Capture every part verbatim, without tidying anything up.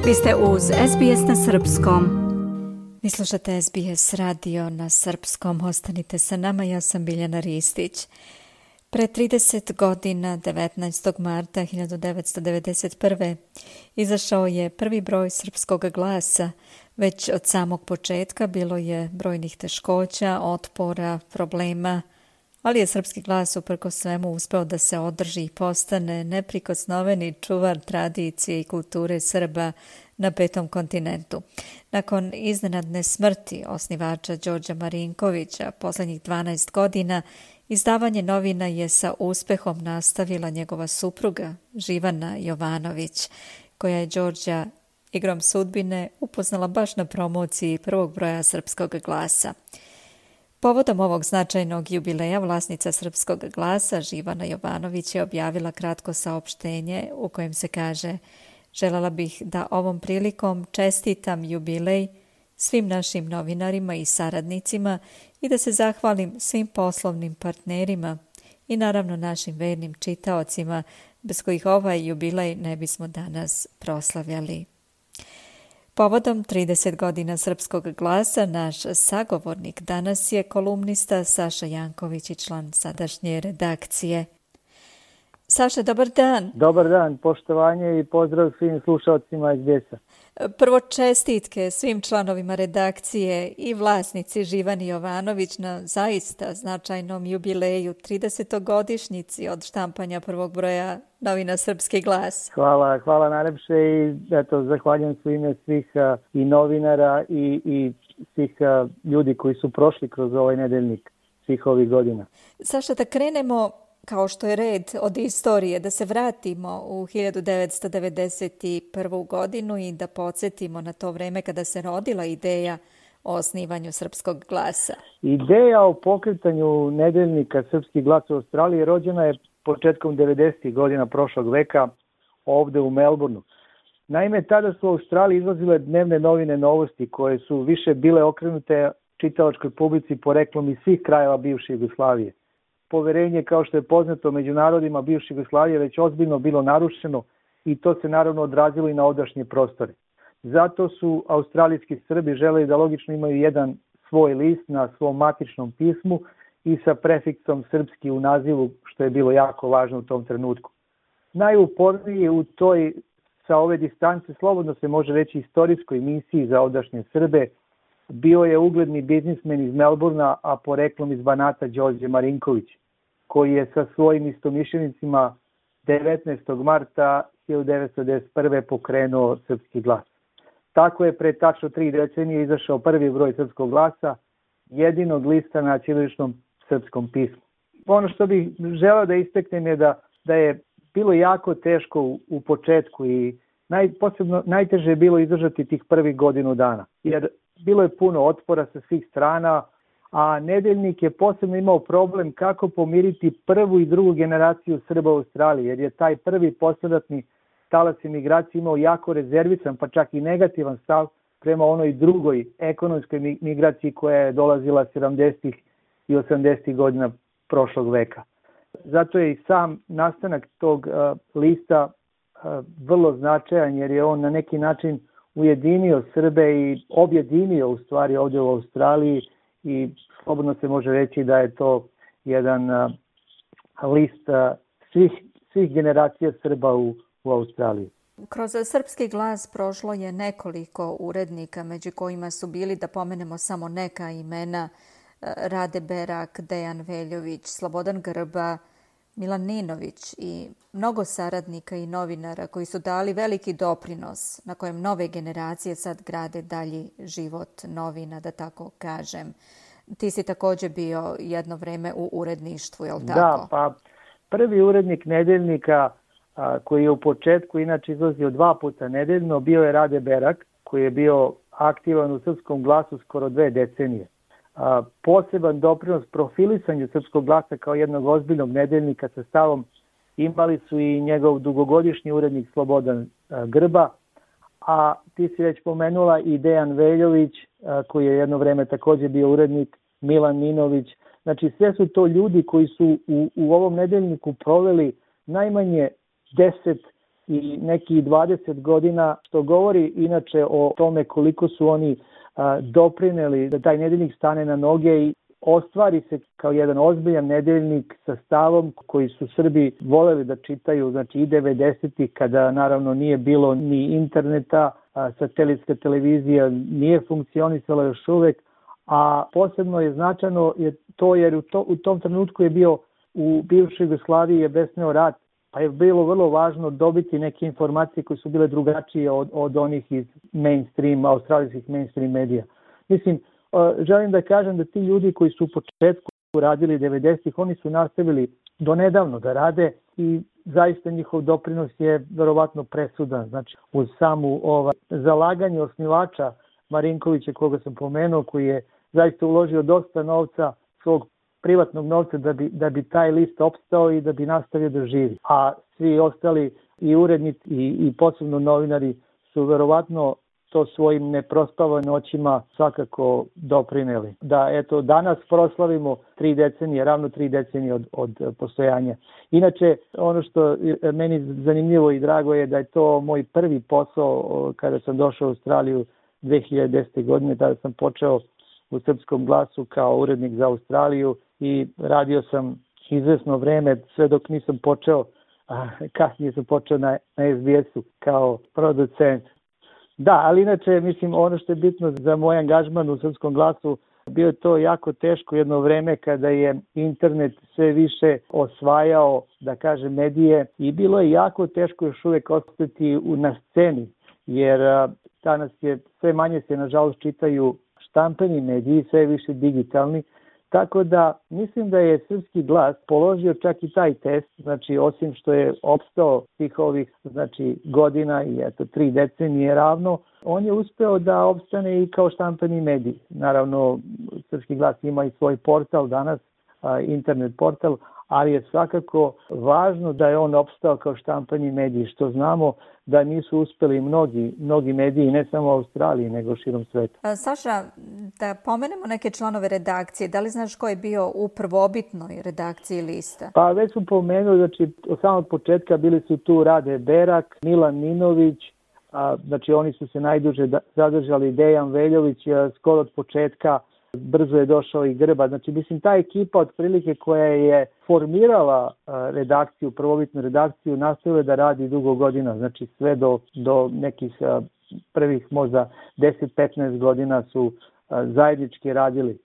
Vi ste uz S B S na srpskom. Vi slušate S B S radio na srpskom. Ostanite sa nama, ja sam Biljana Ristić. Pre trideset godina, devetnaestog marta hiljadu devetsto devedeset prve. izašao je prvi broj Srpskog glasa. Već od samog početka bilo je brojnih teškoća, otpora, problema, ali je Srpski glas uprkos svemu uspeo da se održi i postane neprikosnoveni čuvar tradicije i kulture Srba na petom kontinentu. Nakon iznenadne smrti osnivača Đorđa Marinkovića poslednjih dvanaest godina, izdavanje novina je sa uspehom nastavila njegova supruga Živana Jovanović, koja je Đorđa igrom sudbine upoznala baš na promociji prvog broja Srpskog glasa. Povodom ovog značajnog jubileja vlasnica Srpskog glasa Živana Jovanović je objavila kratko saopštenje u kojem se kaže: želela bih da ovom prilikom čestitam jubilej svim našim novinarima i saradnicima i da se zahvalim svim poslovnim partnerima i naravno našim vernim čitaocima bez kojih ovaj jubilej ne bismo danas proslavljali. Povodom trideset godina Srpskog glasa, naš sagovornik danas je kolumnista Saša Janković i član sadašnje redakcije. Saša, dobar dan. Dobar dan, poštovanje i pozdrav svim slušalcima S B S-a. Prvo čestitke svim članovima redakcije i vlasnici Živani Jovanović na zaista značajnom jubileju, tridesetogodišnjici od štampanja prvog broja novina Srpski glas. Hvala, hvala najlepše i eto, zahvaljujem su ime svih uh, i novinara i, i svih uh, ljudi koji su prošli kroz ovaj nedeljnik svih ovih godina. Saša, da krenemo kao što je red od istorije, da se vratimo u hiljadu devetsto devedeset prvu. godinu i da podsjetimo na to vreme kada se rodila ideja o osnivanju Srpskog glasa. Ideja o pokretanju nedeljnika Srpski glas u Australiji rođena je početkom devedesetih godina prošlog veka ovde u Melbourneu. Naime, tada su u Australiji izlazile dnevne novine Novosti koje su više bile okrenute čitalačkoj publici poreklom iz svih krajeva bivše Jugoslavije. Poverenje, kao što je poznato među narodima bivše Jugoslavije, već ozbiljno bilo narušeno i to se naravno odrazilo i na ovdašnje prostore. Zato su australijski Srbi želeli da logično imaju jedan svoj list na svom matičnom pismu i sa prefiksom srpski u nazivu, što je bilo jako važno u tom trenutku. Najuporniji u toj, sa ove distance, slobodno se može reći istorijskoj misiji za ovdašnje Srbe, bio je ugledni biznismen iz Melbourna, a poreklom iz Banata Đorđe Marinković, koji je sa svojim istomišljenicima devetnaestog marta hiljadu devetsto devedeset prve. pokrenuo Srpski glas. Tako je pre tačno tri decenije izašao prvi broj Srpskog glasa, jedinog lista na ćiriličnom srpskom pismu. Ono što bih želeo da istaknem je da, da je bilo jako teško u, u početku i naj, posebno najteže je bilo izdržati tih prvih godinu dana, jer bilo je puno otpora sa svih strana, a nedeljnik je posebno imao problem kako pomiriti prvu i drugu generaciju Srba u Australiji, jer je taj prvi posledatni talas imigracije imao jako rezervisan, pa čak i negativan stav prema onoj drugoj ekonomskoj migraciji koja je dolazila sedamdesetih i osamdesetih godina prošlog veka. Zato je i sam nastanak tog uh, lista uh, vrlo značajan, jer je on na neki način ujedinio Srbe i objedinio u stvari ovdje u Australiji i slobodno se može reći da je to jedan uh, list uh, svih, svih generacija Srba u, u Australiji. Kroz Srpski glas prošlo je nekoliko urednika, među kojima su bili, da pomenemo samo neka imena, Rade Berak, Dejan Veljović, Slobodan Grba, Milan Ninović i mnogo saradnika i novinara koji su dali veliki doprinos na kojem nove generacije sad grade dalji život novina, da tako kažem. Ti si također bio jedno vreme u uredništvu, je li tako? Da, pa prvi urednik nedeljnika a, koji je u početku inače izlazio dva puta nedeljno bio je Rade Berak, koji je bio aktivan u Srpskom glasu skoro dve decenije. A, poseban doprinos profilisanju Srpskog glasa kao jednog ozbiljnog nedeljnika sa stavom imali su i njegov dugogodišnji urednik Slobodan a, Grba, a ti si već pomenula i Dejan Veljović, a, koji je jedno vreme također bio urednik, Milan Ninović. Znači sve su to ljudi koji su u, u ovom nedeljniku proveli najmanje deset i neki dvadeset godina, što govori inače o tome koliko su oni a, doprineli da taj nedeljnik stane na noge i ostvari se kao jedan ozbiljan nedeljnik sa stavom koji su Srbi voleli da čitaju, znači i devedesetih kada naravno nije bilo ni interneta, a, satelitska televizija nije funkcionisala još uvek, a posebno je značajno je to jer u, to, u tom trenutku je bio u bivšoj Jugoslaviji je besneo rat, pa je bilo vrlo važno dobiti neke informacije koje su bile drugačije od, od onih iz mainstream, australijskih mainstream medija. Mislim, želim da kažem da ti ljudi koji su u početku radili devedesetih, oni su nastavili do nedavno da rade i zaista njihov doprinos je verovatno presudan. Znači, uz samu ovaj, zalaganje osnivača Marinkovića, koga sam pomenuo, koji je zaista uložio dosta novca, svog privatnog novca da bi, da bi taj list opstao i da bi nastavio da živi. A svi ostali i urednici i, i posebno novinari su verovatno to svojim neprospavanim noćima svakako doprineli. Da eto danas proslavimo tri decenije, ravno tri decenije od, od postojanja. Inače, ono što je meni zanimljivo i drago je da je to moj prvi posao kada sam došao u Australiju dve hiljade desete. godine, tada sam počeo u Srpskom glasu kao urednik za Australiju i radio sam izvesno vreme sve dok nisam počeo, a kasnije sam počeo na, na es be esu kao producent. Da, ali inače, mislim, ono što je bitno za moj angažman u Srpskom glasu, bio je to jako teško jedno vreme kada je internet sve više osvajao, da kažem, medije i bilo je jako teško još uvek ostati na sceni, jer danas je sve manje se, nažalost, čitaju štampani mediji, sve više digitalni, tako da mislim da je Srpski glas položio čak i taj test, znači osim što je opstao svih ovih znači, godina i eto tri decenije ravno, on je uspeo da opstane i kao štampani medij. Naravno, Srpski glas ima i svoj portal danas, internet portal, ali je svakako važno da je on opstao kao štampani medij, što znamo da nisu uspeli mnogi, mnogi mediji, ne samo u Australiji, nego širom sveta. Saša, da pomenemo neke članove redakcije, da li znaš ko je bio u prvobitnoj redakciji lista? Pa već sam pomenuo, znači od samog početka bili su tu Rade Berak, Milan Ninović, a, znači oni su se najduže zadržali, Dejan Veljović, a, skoro od početka, brzo je došao i Grba. Znači, mislim, ta ekipa otprilike koja je formirala redakciju, prvobitnu redakciju, nastavila da radi dugo godina. Znači, sve do, do nekih prvih možda deset do petnaest godina su zajednički radili.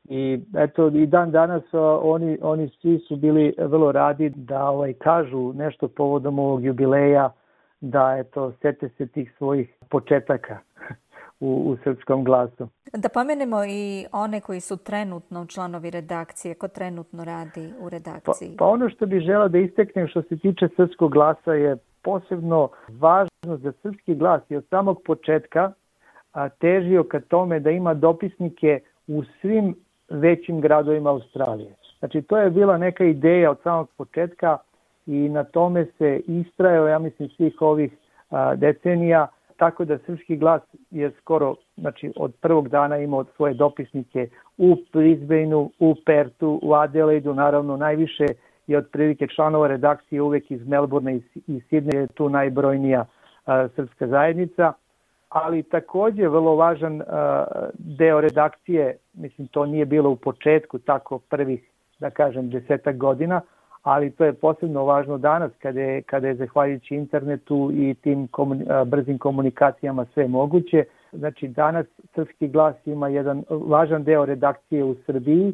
I eto, i dan danas oni, oni svi su bili vrlo radi da ovaj, kažu nešto povodom ovog jubileja, da eto, sete se tih svojih početaka u, u Srpskom glasu. Da pomenemo i one koji su trenutno članovi redakcije, ko trenutno radi u redakciji. Pa, pa ono što bih želeo da isteknem što se tiče Srpskog glasa je posebno važno za Srpski glas i od samog početka a, težio ka tome da ima dopisnike u svim većim gradovima Australije. Znači to je bila neka ideja od samog početka i na tome se istrajao, ja mislim, svih ovih a, decenija, tako da Srpski glas je skoro, znači od prvog dana imao svoje dopisnike u Brisbaneu, u Pertu, u Adelaidu, naravno najviše je otprilike članova redakcije uvek iz Melbourne i iz Sidneja, je tu najbrojnija a, srpska zajednica, ali takođe vrlo važan a, deo redakcije, mislim to nije bilo u početku tako prvih, da kažem, desetak godina, ali to je posebno važno danas kada je, kada je zahvaljujući internetu i tim komun, brzim komunikacijama sve moguće. Znači danas Srpski glas ima jedan važan deo redakcije u Srbiji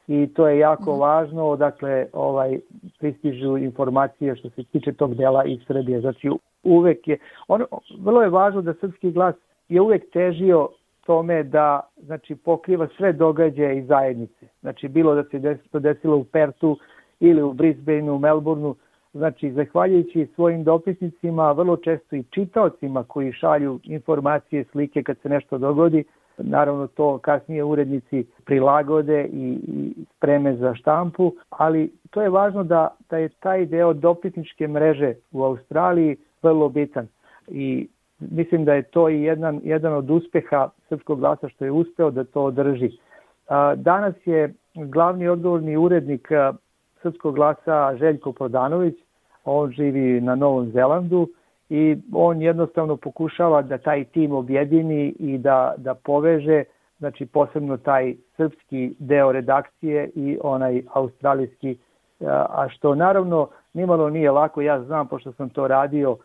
i to je jako mm. važno, odakle ovaj, pristižu informacije što se tiče tog dela iz Srbije. Znači uvek je, ono, vrlo je važno da Srpski glas je uvek težio tome da znači, pokriva sve događaje iz zajednice. Znači bilo da se to desilo u Pertu, ili u Brisbaneu, u Melbourneu, znači zahvaljujući svojim dopisnicima, vrlo često i čitaocima koji šalju informacije, slike kad se nešto dogodi, naravno to kasnije urednici prilagode i, i spreme za štampu, ali to je važno da, da je taj deo dopisničke mreže u Australiji vrlo bitan i mislim da je to i jedan, jedan od uspeha Srpskog glasa što je uspeo da to održi. Danas je glavni odgovorni urednik Srpskog glasa Željko Prodanović, On živi na Novom Zelandu i on jednostavno pokušava da taj tim objedini i da, da poveže, znači posebno taj srpski deo redakcije i onaj australijski, a što naravno nimalo nije lako. Ja znam, pošto sam to radio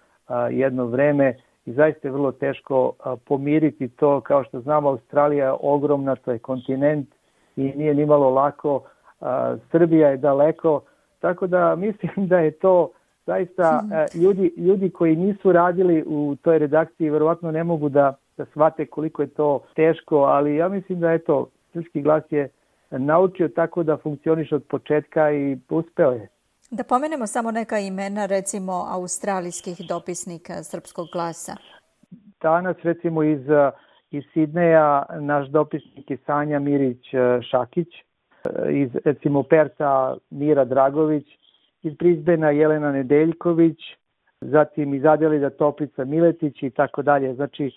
jedno vreme, i zaista je vrlo teško pomiriti to. Kao što znamo, Australija je ogromna, to je kontinent i nije nimalo lako. Srbija je daleko, tako da mislim da je to zaista ljudi, ljudi koji nisu radili u toj redakciji verovatno ne mogu da, da shvate koliko je to teško, ali ja mislim da je to, Srpski glas je naučio tako da funkcioniše od početka i uspeo je. Da pomenemo samo neka imena, recimo australijskih dopisnika Srpskog glasa. Danas recimo iz, iz Sidneja naš dopisnik je Sanja Mirić-Šakić, iz recimo Perta Mira Dragović, iz Brisbanea Jelena Nedeljković, zatim iz Adelida Toplica Miletić i tako dalje. Znači,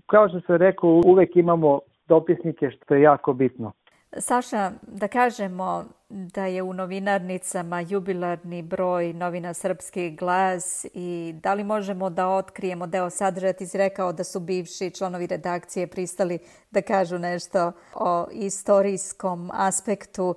kao što sam rekao, uvek imamo dopisnike, što je jako bitno. Saša, da kažemo da je u novinarnicama jubilarni broj novina Srpski glas i da li možemo da otkrijemo deo sadržaja? Ti si rekao da su bivši članovi redakcije pristali da kažu nešto o istorijskom aspektu.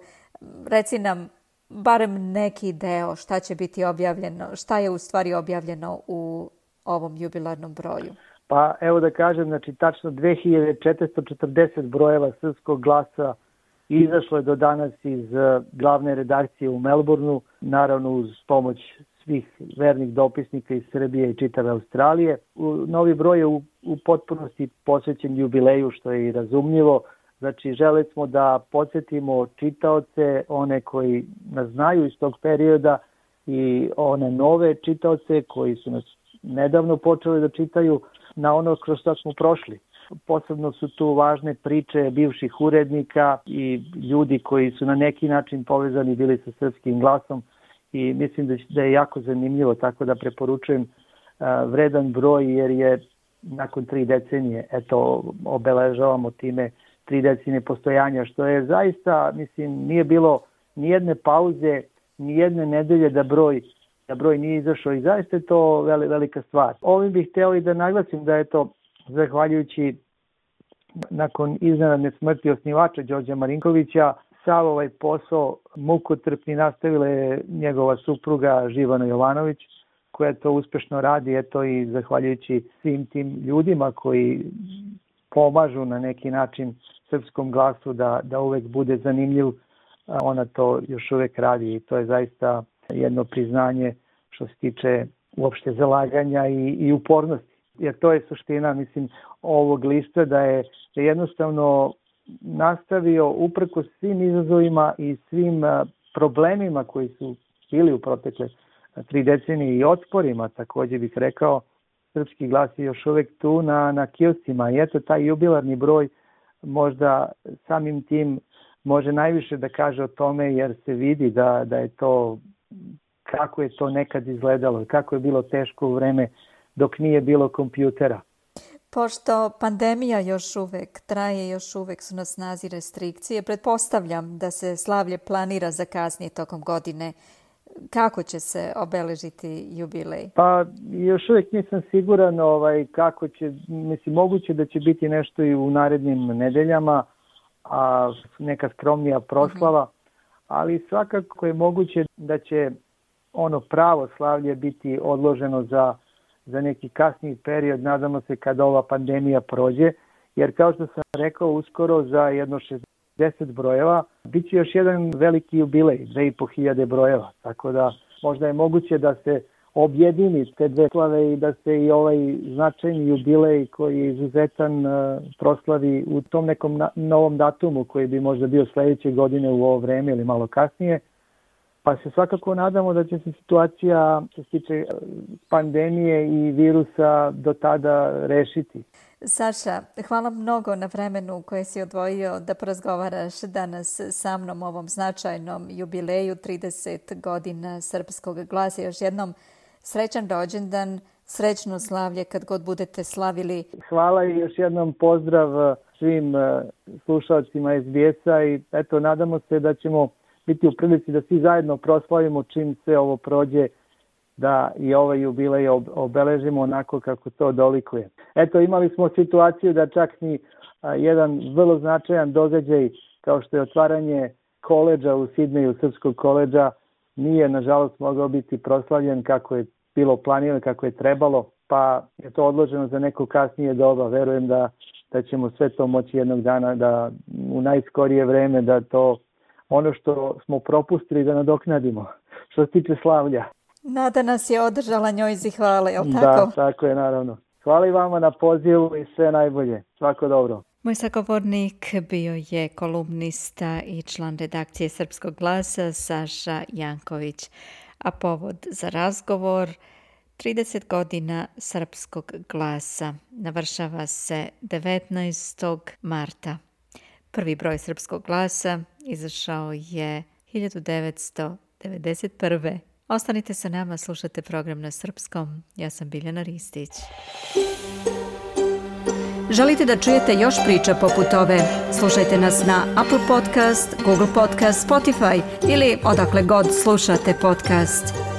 Reci nam barem neki deo šta će biti objavljeno, šta je u stvari objavljeno u ovom jubilarnom broju. Pa evo da kažem, znači tačno dve hiljade četiristo četrdeset brojeva Srpskog glasa izašlo je do danas iz glavne redakcije u Melbourneu, naravno uz pomoć svih vernih dopisnika iz Srbije i čitave Australije. Novi broj je u, u potpunosti posvećen jubileju, što je i razumljivo. Znači, želeli smo da podsjetimo čitaoce, one koji nas znaju iz tog perioda i one nove čitaoce koji su nas nedavno počeli da čitaju na ono kroz što smo prošli. Posebno su tu važne priče bivših urednika i ljudi koji su na neki način povezani bili sa Srpskim glasom i mislim da je jako zanimljivo, tako da preporučujem vredan broj jer je nakon tri decenije, eto, obeležavamo time tri decenije postojanja, što je zaista, mislim, nije bilo ni jedne pauze, ni jedne nedelje da broj, da broj nije izašao i zaista je to velika stvar. Ovim bih hteo i da naglasim da je to zahvaljujući nakon iznenadne smrti osnivača Đorđa Marinkovića, sav ovaj posao mukotrpni nastavila je njegova supruga Živana Jovanović, koja to uspešno radi, eto i zahvaljujući svim tim ljudima koji pomažu na neki način Srpskom glasu da, da uvek bude zanimljiv, ona to još uvek radi i to je zaista jedno priznanje što se tiče uopšte zalaganja i, i upornosti. Jer to je suština, mislim, ovog lista, da je, da je jednostavno nastavio uprkos svim izazovima i svim problemima koji su bili u protekle tri decenije i otporima, takođe bih rekao, Srpski glas je još uvek tu na, na kioscima i eto taj jubilarni broj možda samim tim može najviše da kaže o tome jer se vidi da, da je to, kako je to nekad izgledalo, kako je bilo teško u vreme dok nije bilo kompjutera. Pošto pandemija još uvek traje, još uvek su na snazi restrikcije, pretpostavljam da se slavlje planira za kasnije tokom godine. Kako će se obeležiti jubilej? Pa još uvijek nisam siguran ovaj, kako će, mislim, moguće da će biti nešto i u narednim nedeljama, a neka skromnija proslava, uh-huh. ali svakako je moguće da će ono pravo slavlje biti odloženo za, za neki kasniji period, nadamo se kada ova pandemija prođe, jer kao što sam rekao, uskoro za jedno šezdeset brojeva bit će još jedan veliki jubilej, dve i po hiljade brojeva, tako da možda je moguće da se objedini te dve slave i da se i ovaj značajni jubilej koji je izuzetan proslavi u tom nekom na, novom datumu koji bi možda bio sledeće godine u ovo vreme ili malo kasnije. Pa se svakako nadamo da će se situacija što se tiče pandemije i virusa do tada rešiti. Saša, hvala mnogo na vremenu koje si odvojio da porazgovaraš danas sa mnom o ovom značajnom jubileju trideset godina Srpskog glasa. Još jednom srećan rođendan, srećno slavlje kad god budete slavili. Hvala i još jednom pozdrav svim slušalcima es be es-a i eto, nadamo se da ćemo biti u prilici da svi zajedno proslavimo čim se ovo prođe da i ovaj jubilej obeležimo onako kako to dolikuje. Eto, imali smo situaciju da čak ni jedan vrlo značajan događaj kao što je otvaranje koledža u Sidneju, srpskog koledža, nije nažalost mogao biti proslavljen kako je bilo planirano, kako je trebalo, pa je to odloženo za neko kasnije doba. Verujem da, da ćemo sve to moći jednog dana da u najskorije vreme da to ono što smo propustili da nadoknadimo. Što se tiče slavlja. Nada nas je održala, njoj zahvale, je li tako? Da, tako je, naravno. Hvala i vama na pozivu i sve najbolje. Svako dobro. Moj sagovornik bio je kolumnista i član redakcije Srpskog glasa Saša Janković, a povod za razgovor trideset godina Srpskog glasa navršava se devetnaestog marta. Prvi broj Srpskog glasa izašao je hiljadu devetsto devedeset prve. Ostanite sa nama, slušate program na srpskom. Ja sam Biljana Ristić. Želite da čujete još priča poput ove? Slušajte nas na Apple Podcast, Google Podcast, Spotify ili odakle god slušate podcast.